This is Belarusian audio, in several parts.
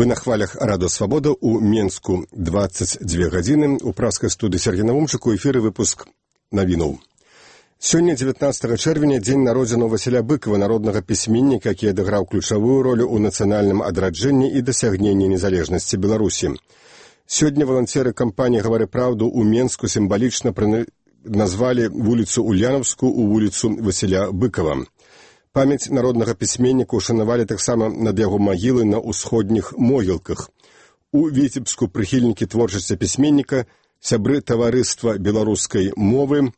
Вы на хвалях Радио Свобода у Менску 22 гадзіны. У праскай студыі Сергей Навумчык, у эфіры выпуск навінаў. Сёння, 19 чэрвеня, дзень народзінаў Васіля Быкова, народнага пісьменніка, які адыграў ключавую ролю ў нацыянальным адраджэнні і дасягненні незалежнасці Беларусі. Сёння валанцеры кампаніі «Гавары праўду» у Менску сімвалічна назвалі вуліцу Ульянаўскую ў вуліцу Васіля Быкова. Памяць народнага пісьменніка ушанавалі таксама над яго магілай на ўсходніх могілках. У Віцебску прыхільнікі творчасці пісьменніка, сябры таварыства беларускай мовы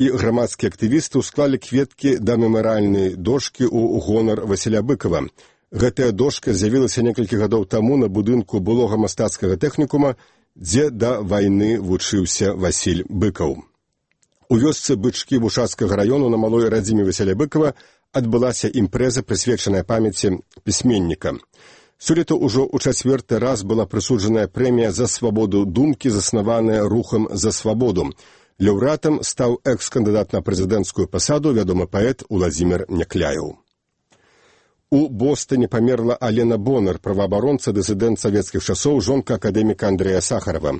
і грамадскія актывісты ўсклалі кветкі да мемарыяльнай дошкі ў гонар Васіля Быкова. Гэтая дошка з'явілася некалькі гадоў таму на будынку былога мастацкага тэхнікума, дзе да вайны вучыўся Васіль Быкаў. У вёсцы Бычкі Бушацкага раёну на малой радзіме Васіля Быкова адбылася імпрэза, прысвечаная памяці пісьменніка. Сёлета ўжо ў 4-й раз была прысуджаная прэмія за свабоду думкі, заснаваная рухам за свабоду. Лаўрэатам стаў экс-кандыдат на прэзідэнцкую пасаду, вядомы паэт Уладзімір Някляеў. У Бостоне памерла Алена Бонар, праваабаронца, дысідэнт савецкіх часоў, жонка акадэміка Андрэя Сахарова.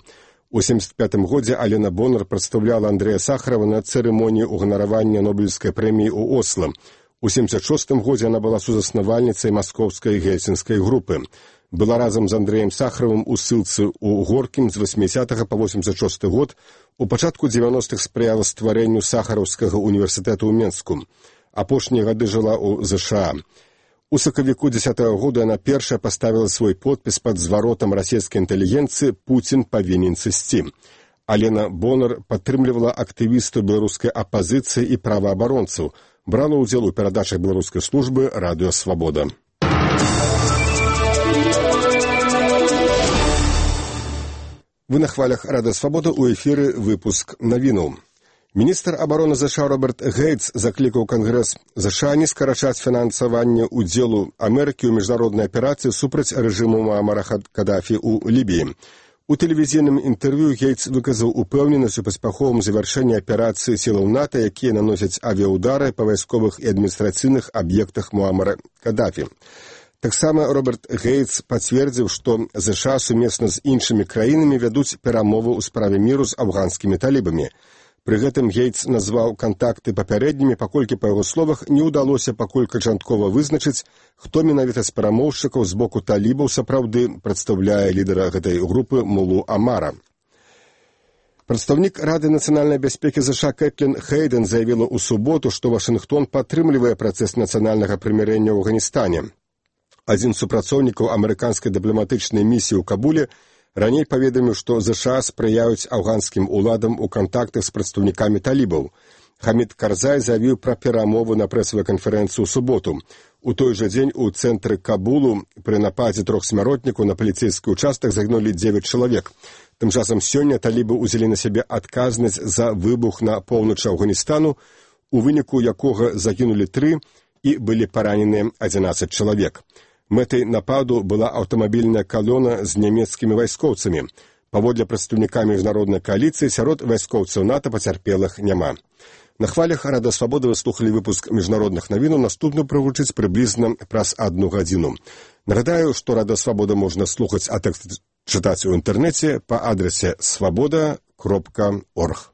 У 1975 годзе Алена Бонар прадстаўляла Андрэя Сахарова на цырымоніі ўганаравання Нобелеўскай прэміі ў Осло. У 1976 годзе яна была сузаснавальніцай маскоўскай гельсінскай групы. Была разам з Андрэем Сахаровым у ссылцы ў Горкім з 80 па 86 год. У пачатку 90-х спрыяла стварэнню Сахараўскага універсітэту ў Менску. Апошнія гады жыла ў ЗША. У сакавіку 10-го года яна першая паставіла свой подпіс пад зваротам расійскай інтэлігенцыі «Пуцін павінен сысці». Алена Бонар падтрымлівала актывістаў беларускай апазіцыі і праваабаронцаў, брала ўдзел у перадачах беларускай службы «Радыё Свабода». Вы на хвалях «Радыё Свабода», у эфіры выпуск навінаў. Міністр абароны ЗША Роберт Гейтс заклікаў Кангрэс ЗША не скарачаць фінансаванне ўдзелу Амерыкі ў міжнароднай аперацыі супраць рэжыму Муамара Кадафі ў Лібіі. У тэлевізійным інтэрв'ю Гейтс выказаў упэўненасць у паспяховым завяршэнні аперацыі сілаў НАТО, якія наносяць авіяудары па вайсковых і адміністрацыйных аб'ектах Муамара Кадафі. Таксама Роберт Гейтс пацвердзіў, што ЗША сумесна з іншымі краінамі вядуць перамовы ў справе міру з афганскімі талібамі. Пры гэтым Гейтс назваў кантакты папярэднімі, паколькі, па яго словах, не ўдалося пакуль канчаткова вызначыць, хто менавіта з перамоўшчыкаў з боку талібаў сапраўды прадстаўляе лідара гэтай групы Мулу Амара. Прадстаўнік Рады нацыянальнай бяспекі ЗША Кэтлін Хейден заявіла ў суботу, што Вашынгтон падтрымлівае працэс нацыянальнага прымірэння ў Афганістане. Адзін з супрацоўнікаў амерыканскай дыпламатычнай місіі ў Кабуле раней паведаміў, што ЗША спрыяюць афганскім уладам у кантактах з прадстаўнікамі талібаў. Хамід Карзай заявіў пра перамовы на прэсавай канферэнцыі ў суботу. У той жа дзень у цэнтры Кабулу пры нападзе 3 смяротнікаў на паліцэйскі ўчастак загінулі 9 чалавек. Тым часам сёння талібы ўзялі на сябе адказнасць за выбух на поўначы Афганістану, у выніку якога загінулі 3 і былі параненыя 11 чалавек. Мэтай нападу была аўтамабільная калона з нямецкімі вайскоўцамі. Паводле прадстаўніка міжнароднай кааліцыі, сярод вайскоўцаў НАТО пацярпелых няма. На хвалях Радыё Свабода вы слухалі выпуск міжнародных навінаў, наступны прагучыць прыблізна праз 1 гадзіну. Нагадаю, што Радыё Свабода можна слухаць, а тэкст чытаць у інтэрнэце па адрасе swaboda.org.